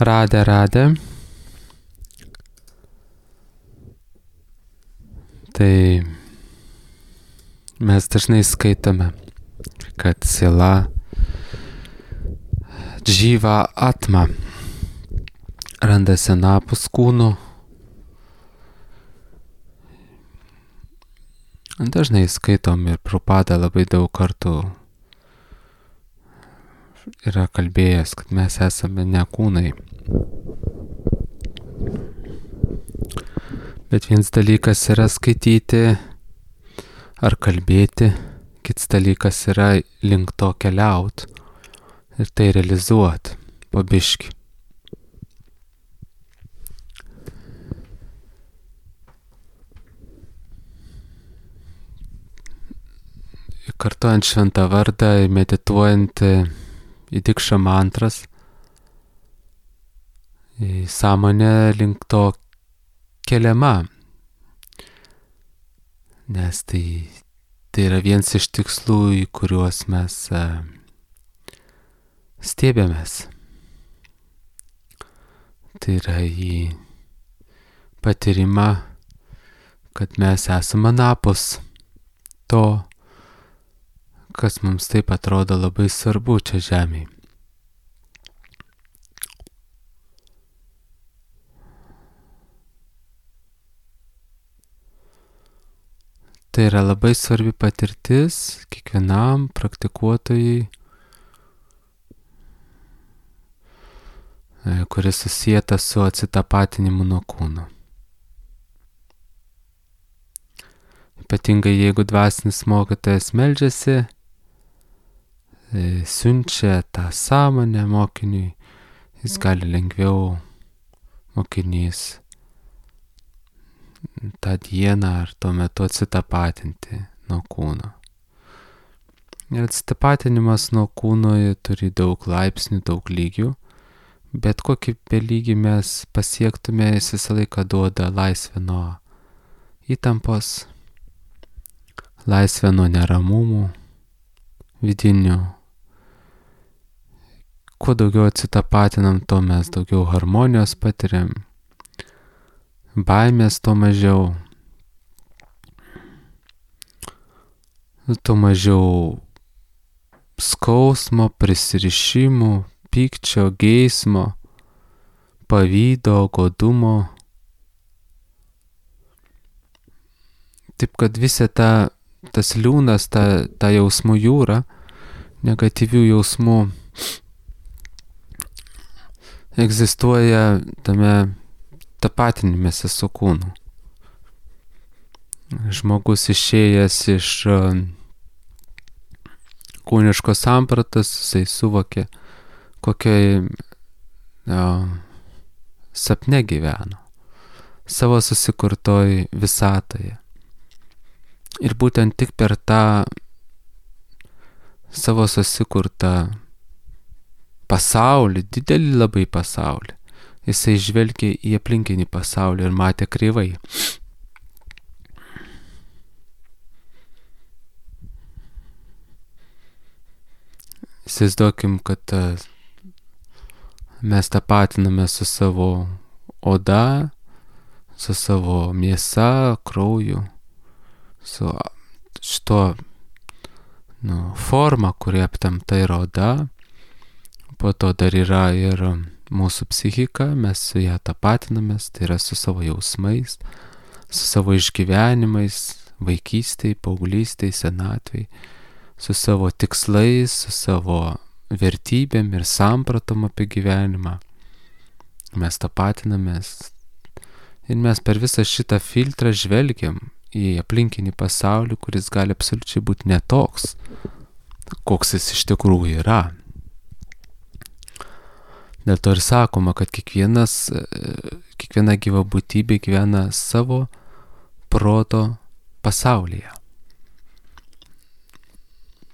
Radę. Tai mes dažnai skaitome, kad siela džyva atma randasi anapus kūnų. Dažnai skaitom ir Prabhupada labai daug kartų yra kalbėjęs, kad mes esame ne kūnai. Bet vienas dalykas yra skaityti ar kalbėti, kitas dalykas yra link to keliaut ir tai realizuot po biškį. Kartuojant šventą vardą ir medituojant į dikšą mantras, į sąmonę link to keliama. Nes tai yra vienas iš tikslų, į kuriuos mes stiebiamės. Tai yra į patyrimą, kad mes esame anapus to, kas mums taip atrodo labai svarbu čia žemėje. Tai yra labai svarbi patirtis kiekvienam praktikuotojui, kuris susieta su atsitapatinimu nuo kūno. Ypatingai jeigu dvasinis mokytojas meldžiasi, siunčia tą sąmonę mokiniui, jis gali lengviau mokinys tą dieną ar tuo metu atsitapatinti nuo kūno. Ir atsitapatinimas nuo kūno turi daug laipsnių, daug lygių, bet kokį belygį mes pasiektume, jis visą laiką duoda laisvę nuo įtampos, laisvę nuo neramumų vidinių. Kuo daugiau atsitapatinam, to mes daugiau harmonijos patiriam, baimės to mažiau, to mažiau skausmo, prisirišimų, pykčio, geismo, pavydo, godumo. Taip kad visa tas liūnas, ta jausmų jūra, negatyvių jausmų egzistuoja tame tapatinimėse su kūnu. Žmogus išėjęs iš kūniškos sampratos, jisai suvokė, kokioj sapne gyveno, savo susikurtoj visatoje. Ir būtent tik per tą savo susikurtą pasaulį, didelį labai pasaulį, jisai žvelgė į aplinkinį pasaulį ir matė kreivai. Įsivaizduokim, kad mes tapatiname su savo oda, su savo mėsa, krauju, su šito forma, kuri aptemta yra oda. Po to dar yra ir mūsų psichika, mes su ją tapatinamės, tai yra su savo jausmais, su savo išgyvenimais, vaikystėj, paauglystėj, senatvėj, su savo tikslais, su savo vertybėm ir sampratom apie gyvenimą. Mes tapatinamės ir mes per visą šitą filtrą žvelgiam į aplinkinį pasaulį, kuris gali absoliučiai būti netoks, koks jis iš tikrųjų yra. Dėl to ir sakoma, kad kiekviena gyva būtybė gyvena savo proto pasaulyje.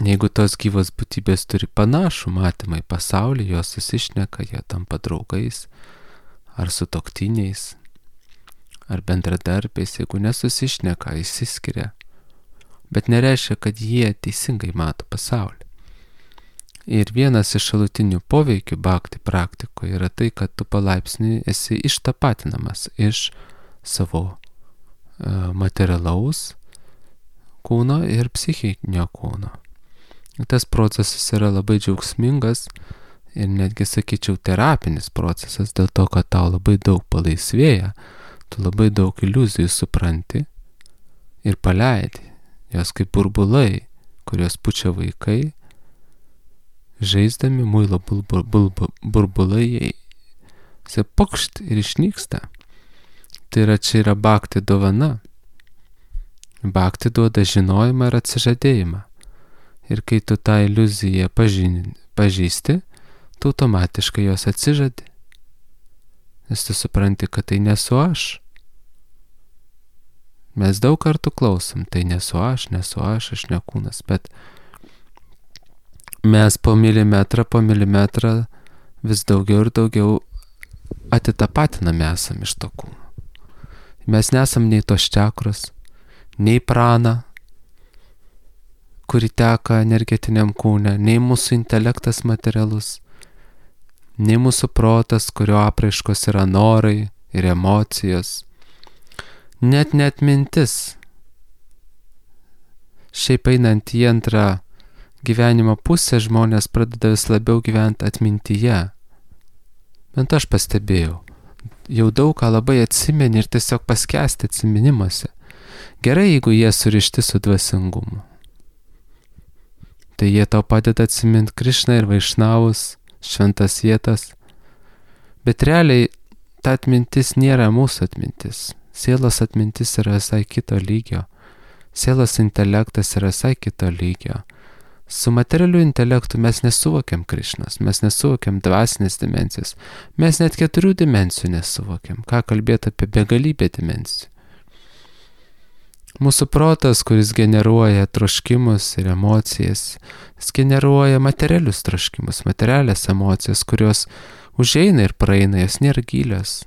Jeigu tos gyvos būtybės turi panašų matymą į pasaulį, jos susišneka, jie tampa draugais, ar sutuoktiniais, ar bendradarbiais, jeigu nesusišneka, išsiskiria. Bet nereiškia, kad jie teisingai mato pasaulį. Ir vienas iš šalutinių poveikių bhakti praktikoje yra tai, kad tu palaipsniui esi ištapatinamas iš savo materialaus kūno ir psichinio kūno. Tas procesas yra labai džiaugsmingas ir netgi, sakyčiau, terapinis procesas, dėl to, kad tau labai daug palaisvėja, tu labai daug iliuzijų supranti ir paleidi. Jos kaip burbulai, kurios pučia vaikai, žaisdami muilo burbulai, jie pokšt ir išnyksta. Tai yra, čia yra bhakti dovana. Bhakti duoda žinojimą ir atsižadėjimą. Ir kai tu tą iliuziją pažįsti, tu automatiškai jos atsižadi. Nes tu supranti, kad tai nesu aš. Mes daug kartų klausom, tai nesu aš ne kūnas, bet mes po milimetrą vis daugiau ir daugiau atitapatiname esam iš to kūno. Mes nesam nei tos čakros, nei prana, kuri teka energetiniam kūne, nei mūsų intelektas materialus, nei mūsų protas, kurio apraiškos yra norai ir emocijos, net mintis. Šiaip einant į antrą gyvenimo pusę, žmonės pradeda vis labiau gyventi atmintyje. Bent aš pastebėjau. Jau daug ką labai atsimeni ir tiesiog paskęsti atsiminimuose. Gerai, jeigu jie surišti su dvasingumu. Tai jie tau padeda atsiminti Krišną ir Vaišnavus, šventas vietas. Bet realiai ta atmintis nėra mūsų atmintis. Sielos atmintis yra visai kito lygio. Sielos intelektas yra visai kito lygio. Su materialiu intelektu mes nesuvokiam Krišnos, mes nesuvokiam dvasinės dimensijos, mes net 4 dimensijų nesuvokiam, ką kalbėti apie begalybę dimensijų. Mūsų protas, kuris generuoja troškimus ir emocijas, jis generuoja materialius troškimus, materialias emocijas, kurios užeina ir praeina, jos nėra gilios.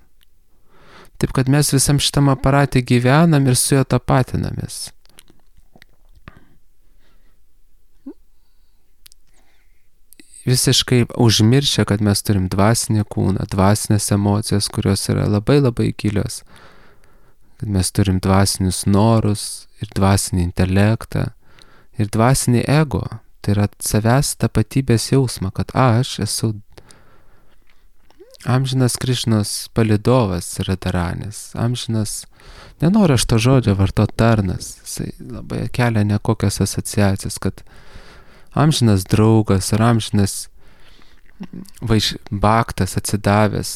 Taip kad mes visam šitam aparate gyvenam ir su juo tapatinamės. Visiškai užmiršę, kad mes turim dvasinį kūną, dvasinės emocijas, kurios yra labai labai gilios. Kad mes turim dvasinius norus ir dvasinį intelektą ir dvasinį ego. Tai yra savęs tapatybės jausmą, kad aš esu amžinas Krišnos palydovas Radharanis. Amžinas, nenoriu aš to žodžio vartoti tarnas. Jisai labai kelia nekokias asociacijas, kad amžinas draugas ar amžinas bhaktas atsidavęs,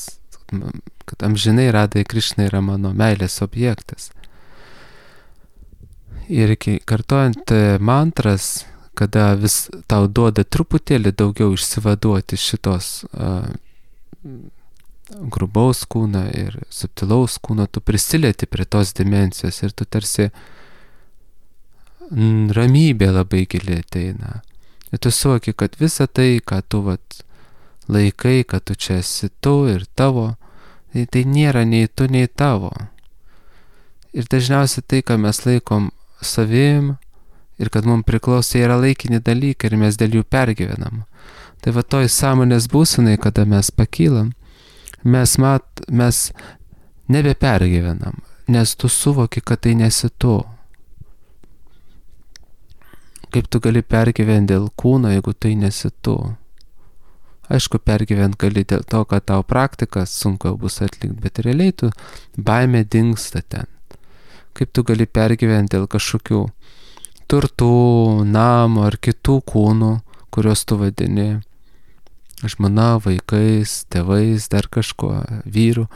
kad amžinai Radai Krišna yra mano meilės objektas. Ir kartojant mantras, kada vis tau duoda truputėlį daugiau išsivaduoti šitos grubaus kūno ir subtilaus kūno, tu prisilieti prie tos dimensijos ir tu tarsi ramybė labai gili ateina. Ir tu suvoki, kad visa tai, ką tu laikai, kad tu čia esi tu ir tavo, tai nėra nei tu, nei tavo. Ir dažniausiai tai, ką mes laikom savim ir kad mums priklauso, yra laikini dalykai ir mes dėl jų pergyvenam. Tai va toj sąmonės būsenai, kada mes pakylam, mes nebepergyvenam, nes tu suvoki, kad tai nesi tu. Kaip tu gali pergyventi dėl kūno, jeigu tai nesi tu? Aišku, pergyventi gali dėl to, kad tau praktikas sunku bus atlikti, bet realiai tu baimė dingsta ten. Kaip tu gali pergyventi dėl kažkokių turtų, namo ar kitų kūnų, kuriuos tu vadini žmona, vaikais, tėvais, dar kažko, vyru.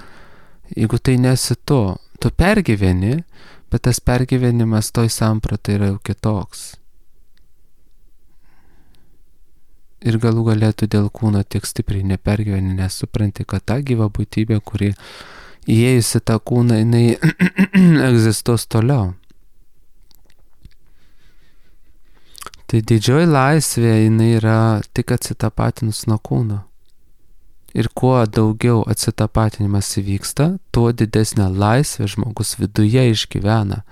Jeigu tai nesi tu pergyveni, bet tas pergyvenimas toj sampratai yra jau kitoks. Ir galų galėtų dėl kūno tiek stipriai nepergyveni, nes supranti, kad ta gyva būtybė, kuri įėjusi tą kūną, jinai egzistuos toliau. Tai didžioji laisvė, jinai yra tik atsitapatinus nuo kūno. Ir kuo daugiau atsitapatinimas įvyksta, tuo didesnę laisvę žmogus viduje išgyvena,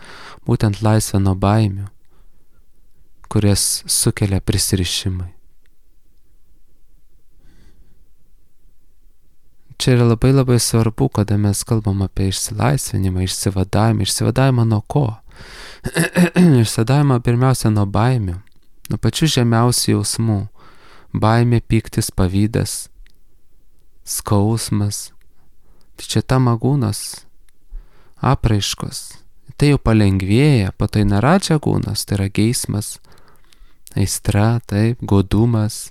būtent laisvę nuo baimių, kurias sukelia prisirišimai. čia yra labai labai svarbu, kada mes kalbam apie išsilaisvinimą, išsivadavimą nuo ko? Išsivadavimą pirmiausia nuo baimių, nuo pačių žemiausių jausmų. Baimė, pyktis, pavydas, skausmas. Tai čia tamagūnas, apraiškos. Tai jau palengvėja, po tai naradžagūnas, tai yra geismas, aistra, taip, godumas.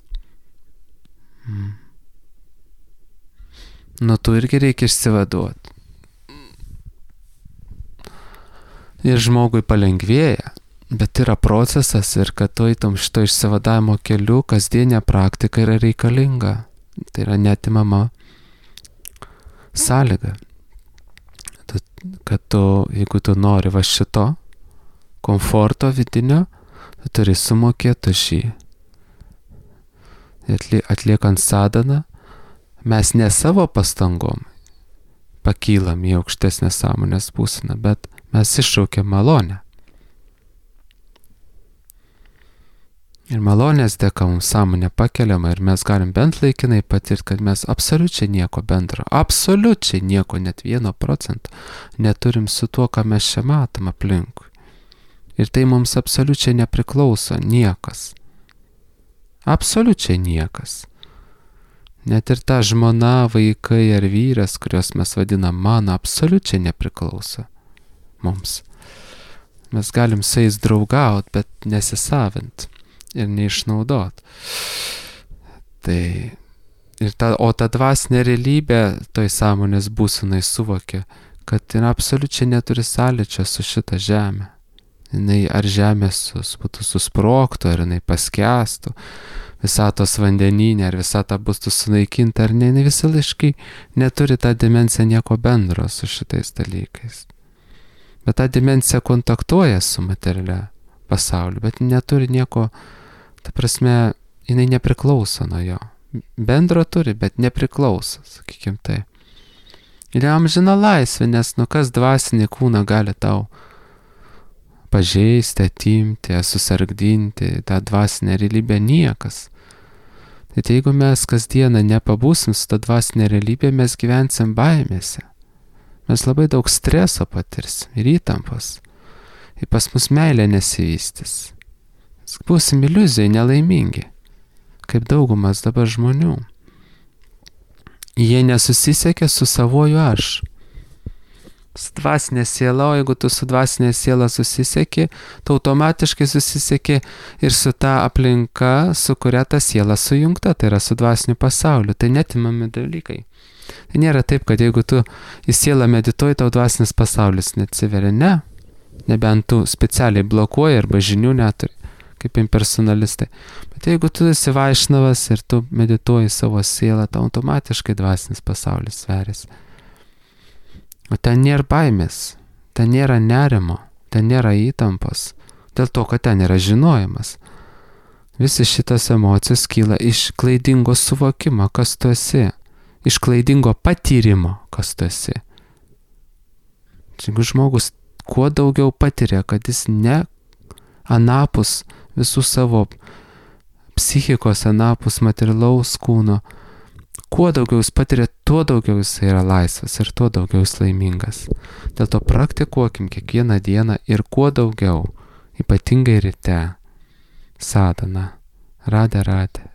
Nuo tų irgi reikia išsivaduoti. Ir žmogui palengvėja, bet yra procesas ir kad tu eitum šito išsivadavimo keliu, kasdienė praktika yra reikalinga. Tai yra neatimama sąlyga. Kad tu, jeigu tu nori va šito komforto vidinio, tu turi sumokėti už jį. Atliekant sadhaną, mes ne savo pastangom pakylam į aukštesnę sąmonės būseną, bet mes iššaukiam malonę. Ir malonės dėka mums sąmonė pakeliama ir mes galim bent laikinai patirti, kad mes absoliučiai nieko bendro, absoliučiai nieko, net 1% neturim su tuo, ką mes čia matom aplinkui. Ir tai mums absoliučiai nepriklauso niekas. Absoliučiai niekas. Net ir ta žmona, vaikai ar vyras, kuriuos mes vadinam mano, absoliučiai nepriklauso mums. Mes galim su jais draugauti, bet nesisavint ir neišnaudot. O ta dvasinė realybė toj sąmonės būsenai suvokia, kad jin absoliučiai neturi sąlyčio su šita žemė. Jinai ar žemė būtų susprogtų, ar jinai paskęstų, visatos vandenyne, ar visata bus sunaikinta, ar ne, jinai visąlaiškai neturi tą dimensiją nieko bendro su šitais dalykais. Bet ta dimensija kontaktuoja su materialia pasauliu, bet neturi nieko, ta prasme, jinai nepriklauso nuo jo. Bendro turi, bet nepriklauso, sakykim tai. Ir amžina laisvė, nes kas dvasinį kūną gali tau pažeisti, atimti, susargdinti, tą dvasinę realybę niekas. Tai jeigu mes kasdieną nepabūsim su tą dvasinę realybę, mes gyvensim baimėse. Mes labai daug streso patirsim ir įtampos. Ir pas mus meilė nesivystys. Būsim iliuzijai nelaimingi, kaip daugumas dabar žmonių. Jie nesusisiekia su savoju aš. Su dvasinė siela, o jeigu tu su dvasinė siela susisieki, tu automatiškai susisieki ir su ta aplinka, su kuria ta siela sujungta, tai yra su dvasiniu pasauliu. Tai netimami dalykai. Tai nėra taip, kad jeigu tu į sielą medituoji, tau dvasinis pasaulis neatsiveria. Ne. Nebent tu specialiai blokuoji arba žinių neturi, kaip impersonalistai. Bet jeigu tu esi vaišnavas ir tu medituoji savo sielą, tau automatiškai dvasinis pasaulis sveriasi. O ten nėra baimės, ten nėra nerimo, ten nėra įtampos, dėl to, kad ten yra žinojimas. Visi šitas emocijos kyla iš klaidingo suvokimo, kas tu esi, iš klaidingo patyrimo, kas tu esi. Jeigu žmogus kuo daugiau patiria, kad jis ne anapus visų savo psichikos, anapus materialaus kūno, kuo daugiau jis patiria, tuo daugiau jis yra laisvas ir tuo daugiau jis laimingas. Dėl to praktikuokim kiekvieną dieną ir kuo daugiau, ypatingai ryte, sadhana. Radhe Radhe.